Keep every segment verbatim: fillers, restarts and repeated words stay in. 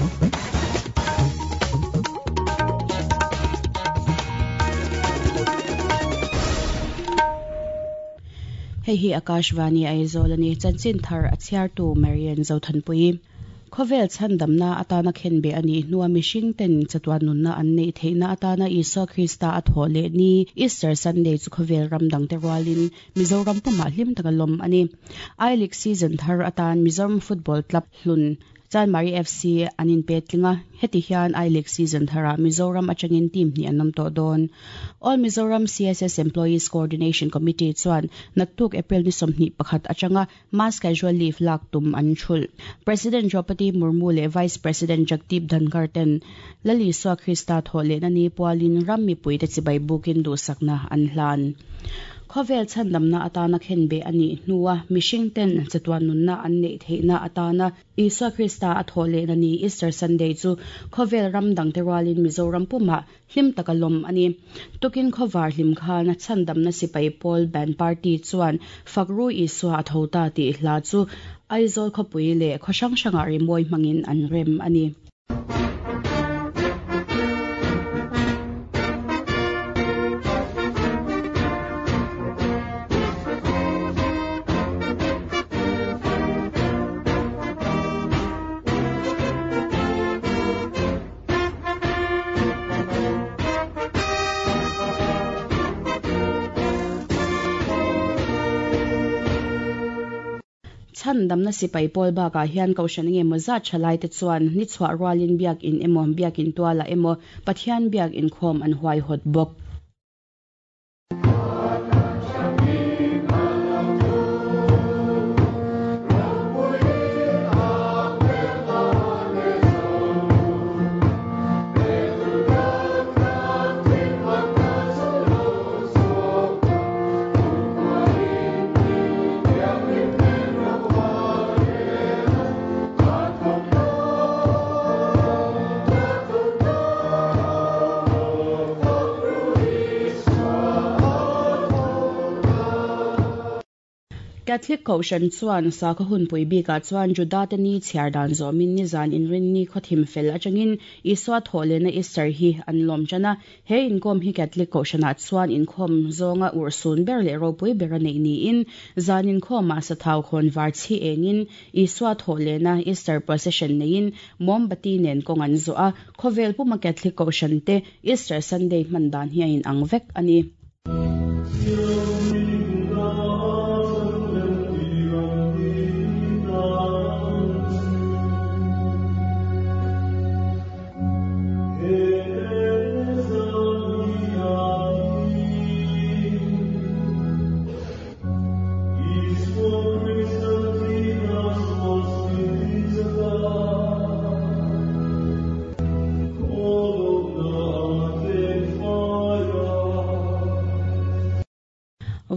Hei hi Akashvani Aizawl ani chanchin thar a chhiartu Marian Zothanpui Khovel chandamna atana khenbe ani hnuwa mihring ten chatuan nunna an nei theihna atana Isua Krista a tho le ni Easter Sunday chu khovel ramdang te rualin Mizoram puma hlim taka lom ani I League season thar atan Mizoram Football Club hlun Chanmari F C anin petlinga heti hian I League season thara Mizoram atangin team ni anom to don All Mizoram C S S Employees Coordination Committee chuan naktuk April ni somni pakhat atanga mass casual leave lak tum an thul President Draupadi Murmu le Vice President Jagdeep Dhankhar ten Lali Isua Krista thole na ni pualin rammi puite chibai bukin du sakna an hlan Khovel chandamna atana khenbe ani hnuwa mihring ten chatuan nunna an nei theihna atana Isua Krista a thole na ni Easter Sunday chu khovel ramdang te rualin Mizoram puma hlim taka lom ani tukin khowar hlim khan chandamna sipai Paul Band Party chuan fakru Isua a thota ti hla chu Aizawl khawpui le khawhrang hranga rimoi hmangin an rem ani. Chandamna sipai pawl bakah hian kohhran nge maw zat thalai te chuan ni chhuah rualin biak in emaw biak in tuala emaw Pathian biak inkhawm an huai hawt bawk. Catholic Kohhran chuan sakhaw hunpui bikah chuan Juda te ni chhiar dan zawmin ni zan inrin ni khawthim fel atangin Isua thawhlehna Easter hi an lawm tana he inkhawm hi Catholic Kohhranah chuan inkhawm zawnga urhsun ber leh ropui ber a neih niin zan inkhawmah sathau khawn var chhi engin Isua thawhlehna Easter procession neiin mombati nen kawng an zawh a khawvel puma Catholic Kohhran te Easter Sunday hman dan hi a inang vek ani.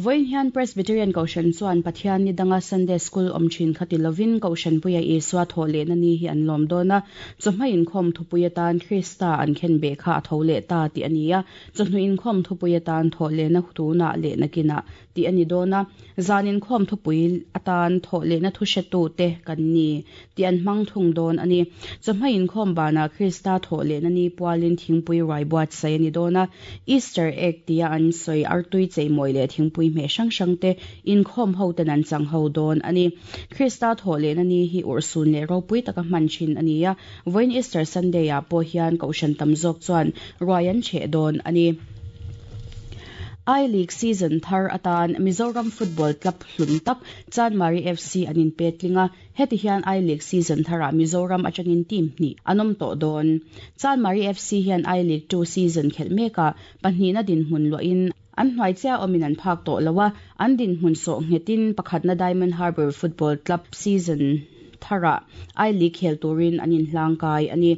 Voin hian Presbyterian Kohhran chuan Pathian ni danga Sunday School awm thin khati lovin Kohhran puia Isua thawhlehna ni hi an lawm dawn a chawhma inkhawm thupui atan Krista an khenbe kha a tho leh ta tih ani a chawhnu inkhawm thupui atan thawhlehna tuna leh nakina tih ani dawn a zan inkhawm thupui atan thawhlehna thu hretu te kan ni tih an hmang thung dawn ani chawhma inkhawm bana Krista thawhlehna ni pualin thingpui ruai buatsaih ani dawn a Easter egg tia an sawi artui cheimawi leh thingpui me hrang hrang te inkhawm ho ten an chang ho dawn ani Krista thawhlehna ni hi urhsun leh ropui taka hman thin ani a vawiin Easter Sunday ah pawh hian kohhran tam zawk chuan ruai an cheh dawn ani. I League season thar atan Mizoram Football Club hlun tak Chanmari F C anin petlinga heti hian I League season thara Mizoram atangin team ni anom to dawn Chanmari F C hian I League two season khel meka pahnihna din hmun loin an hnuai chia awmin an phak tawh loa an din hmun sawh nghetin pakhatna Diamond Harbour Football Club season thara I League khel turin an inhlangkai ani.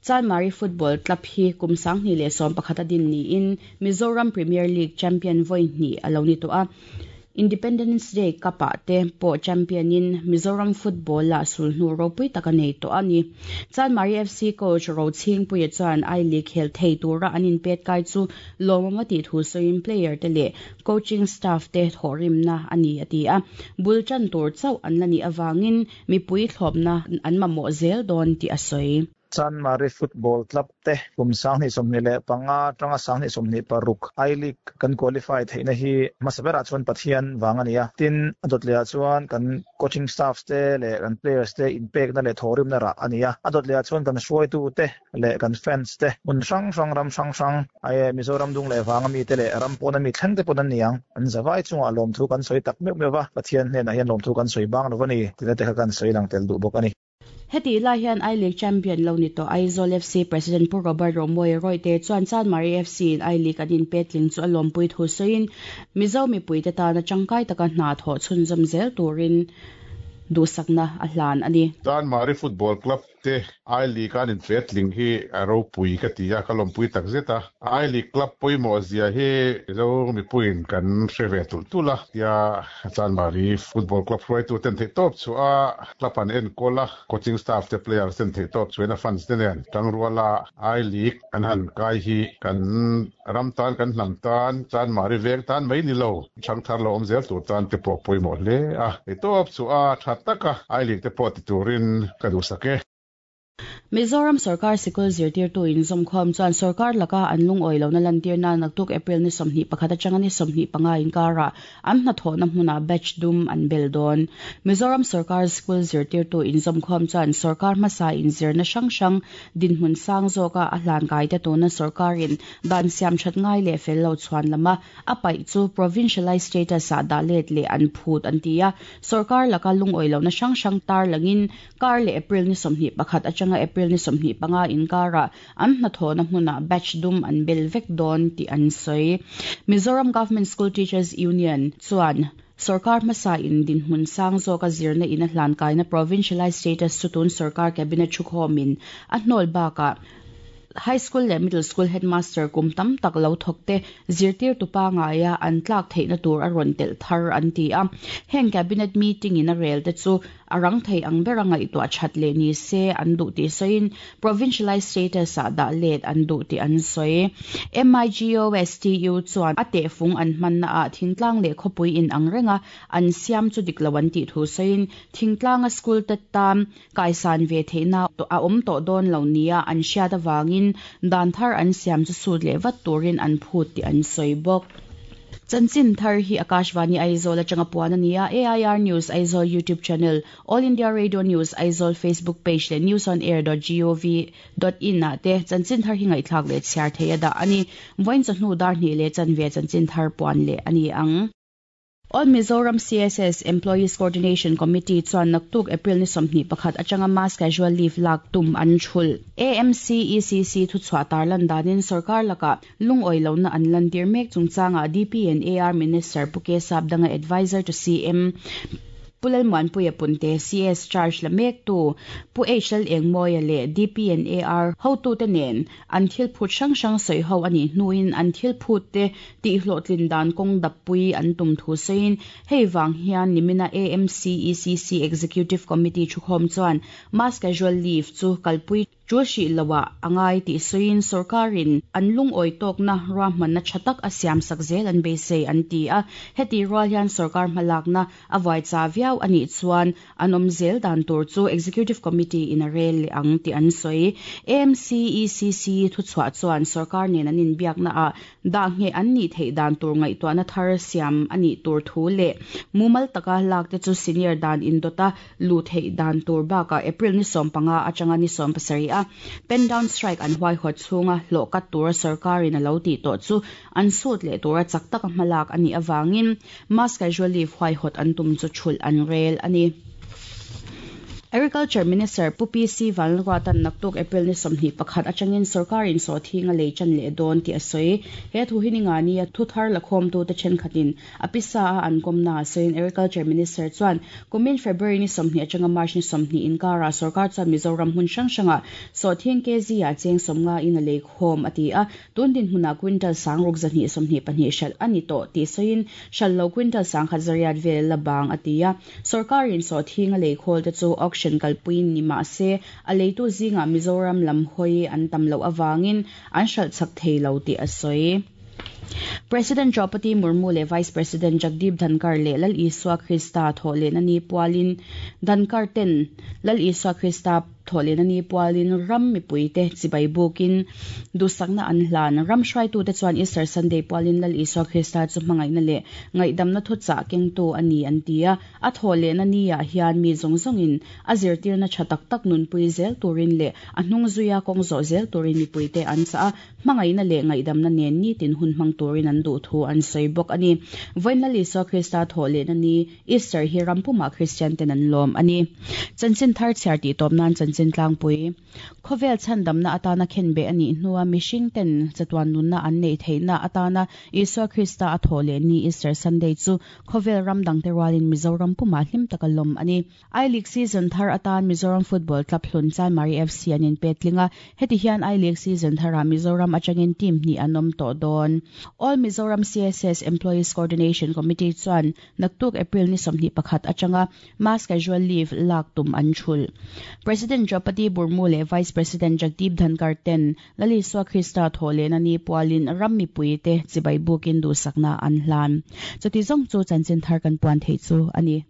Chanmari Football Club hi kum sanghnih leh sawm pakhat a din niin Mizoram Premier League champion vawi hnih a lo ni tawh a Independence Day Cup-ah te pawh champion in Mizoram football la sulhnu ropui taka nei tawh a ni. Chanmari F C coach Rochhingpuia chuan I League khel thei tura an inpet kai chu lawmawm a tih thu sawiin player te leh coaching staff te thawhrimna a ni a ti a. Bul tan tur chauh an la nih awangin mipui thlawpna an mamawh zel dawn tih a sawi. Chanmari Football Club te kum sanghnih sawmhnih leh panga tanga sanghnih sawmhnih paruk I League kan qualify theihna hi hmasa berah chuan Pathian wang a ni a. Tin a dawt lehah chuan kan coaching staff te leh kan players te inpekna leh thawhrimna rah a ni a. A dawt lehah chuan kan hruaitu te leh kan fans te hmun hrang hrang ram hrang hrang ai Mizoram dung leh wang ami te leh ram pawn ami thleng te pawn an ni ang. An zawai chungah lawmthu kan sawi tak meuh meuh va. Pathian hnenah hian lawmthu kan sawi bang lo a ni. Tina te kha kan sawi lang tel duh bawk a ni. Heti lai hian I League champion lo ni tawh Aizawl F C President Pu Robert Romawia Royte chuan Chanmari F C in I League an inpetling chu a lawmpui thu sawiin Mizo mipui te tana tangkai taka hna thawh chhunzawm zel turin duhsakna a hlan a ni. Chanmari Football Club te I League an inpetling hi a ropui ka ti a, ka lawmpui tak zet a. I League club pawimawh zia hi Mizo mipuiin kan hre ve tul tul a. Tia Chanmari Football Club hruaitu ten theih tawp chu a club an enkawl a, coaching staff te players ten theih tawp chuan a fans te nen tangruala I League an han kai hi kan ram tan kan hnam tan Chanmari veng tan mai ni lo thangthar lo awm zel tur tan te pawh pawimawh hle a. Theih tawp chu a tha taka I League te pawh ti turin ka duhsak e. Mizoram Sarkar Sikul zirtirtu inzawmkhawm chuan sarkar laka an lungawi lohna lantirna naktuk April ni sawmhnih pakhat atanga ni sawmhnih panga inkara an hnathawhna hmunah batch dum an bel dawn. Mizoram Sarkar Sikul zirtirtu inzawmkhawm chuan sarkar hmasa inzirna hrang hrang dinhmun sang zawka a hlan kai te tuna sarkarin dan siam that ngai leh fel lo chuan lama a paih chu provincialized status ah dah let leh an phut an ti a. Sarkar laka lungawi lohna hrang hrang tar langin kar leh April ni sawmhnih pakhat atanga April ni sawmhnih panga inkara an hnathawhna hmunah batch dum an bel vek dawn tih an sawi. Mizoram Government School Teachers Union chuan sarkar hmasa in dinhmun sang zawka zirna in a hlan kaina provincialized status chu tun sarkar cabinet thukhawmin a hnawl bakah high school leh middle school headmaster kum tam tak lo thawk te zirtir tupa ngaia an tlak theihna tur a rawn telh thar an ti a. Heng cabinet meeting in a rel te chu a rang thei ang bera ngaihtuah that leh ni se an duh tih sawiin provincialized status ah dah let an duh tih an sawi. M I G O S T U chuan a tehfung an hmanna ah thingtlang leh khawpui in ang renga an siam chu dik lo an tih thu sawiin thingtlanga school te tam kaisan ve theihna a awm tawh dawn lo nia an hriat awangin dan thar an siam chu sut leh vat turin an phut tih an sawi bawk. Chanchin thar hi Akashvani Aizawl atanga puan a ni a. A I R News Aizawl YouTube channel, All India Radio News Aizawl Facebook page leh news on air dot gov dot in ah te chanchin thar hi ngaihthlak leh chhiar thei a dah a ni. Vawiin chawhnu dar hnih leh chanve chanchin thar puan leh a ni ang. All Mizoram C S S Employees Coordination Committee chuan naktuk April ni sawmhnih pakhat atanga mass casual leave lak tum an thul. A M C E C C thu chhuah tarlan danin sarkar laka lungawi lohna an lantir mek chungchanga D P and A R Minister Pu K Sapdanga Advisor to C M Pu Lalmuanpuia Punte C S charge la mek tu Pu H L Engmawia leh D P and A R hotu te nen an thil phut hrang hrang sawi ho ani hnuin an thil phut te tih hlawhtlin dan kawng dappui an tum thu sawiin hei wang hian nimina A M C E C C Executive Committee thukhawm chuan mass casual leave chu kalpui chu hri lowa angai tih sawiin sarkarin an lungawi tawkna ruahmanna tha tak a siam sak zel an beisei an ti a. Heti rual hian sarkar hmalakna a vuai cha viau ani chuan an awm zel dan tur chu Executive Committee in a rel leh ang tih an sawi. A M C E C C thu chhuah chuan sarkar nen an inbiakna ah dah nge an nih theih dan tur ngaihtuahna thar siam ani tur thu leh mumal taka lak te chu senior dan indawta lu theih dan tur bakah April ni sawm panga atanga ni sawm pasarih a pen down strike an huai hawt chhunga hlawh kat tura sarkarin a lo tih tawh chu an sut leh tura chak taka hmalak ani awangin mass casual leave huai hawt an tum chu thulh an rel ani. Agriculture Minister Pu P C Vanlalruata'n naktuk April ni sawmhnih pakhat atangin sorkarin sawhthinga lei chan leh dawn tih a sawi. He thu hi ningani a thu thar lakhawmtute thenkhatin a pisa a an kawmna a sawiin Agriculture Minister chuan kumin February ni sawmhnih atanga March ni sawmhnih inkara sorkar chuan Mizoram hmun hrang hranga sawhthing kg ah cheng sawmnga in a lei khawm a ti a. Tun dinhmunah quintal sang ruk zahnih sawmhnih pahnih hralh a ni tawh tih sawiin hralh lo quintal sangkhat zariat vel la bang a ti a. Sorkarin sawhthinga lei khawl te chu auction kalpuiin ni mah se a leitu zingah Mizoram lam hawi an tam loh awangin an hralh chak thei lo tih a sawi. President Draupadi Murmu leh Vice President Jagdeep Dhankhar leh Lal Isua Krista thawhlehna ni pualin Dhankhar ten Lal Isua Krista thawhlehna ni pualin ram mipuite chibai bukin duhsakna an hlan. Ram hruaitute chuan Easter Sunday pualin Lal Isua Krista chu hmangaihna leh ngaihdamna thuchah kengtu a ni an ti a. A thawhlehna ni ah hian mi zawng zawngin a zirtirna tha tak tak nunpui zel turin leh a hnung zuia kawng zawh zel turin mipuite an chah a. Hmangaihna leh ngaihdamna nen nitin hun hmang turin an duh thu an sawi bawk a ni. Vawiin Lal Isua Krista thawhlehna ni Easter hi ram pumah Kristian ten an lawm a ni. Chanchin thar chhiar tih tawp nan chanchin tlangpui. Khawvel chhandamna atana khenbeh a nih hnua mihring ten chatuan nunna an neih theihna atana Isua Krista a thawhleh ni Easter Sunday chu khawvel ram dangte rualin Mizoram pumah hlim taka lawm a ni. I-League season thar atan Mizoram Football Club hlun Chanmari F C an inpetling a. Heti hian I-League season tharah Mizoram atangin team hnih an awm tawh dawn. All Mizoram C S S Employees Coordination Committee chuan naktuk April ni sawmhnih pakhat atanga mass casual leave lak tum an thul. President Draupadi Murmu leh Vice President Jagdeep Dhankhar ten Lal Isua Krista thawhlehna ni pualin ram mipuite chibai bukin duhsakna an hlan. Chuti zawng chu chanchin thar kan puan thei chu a ni.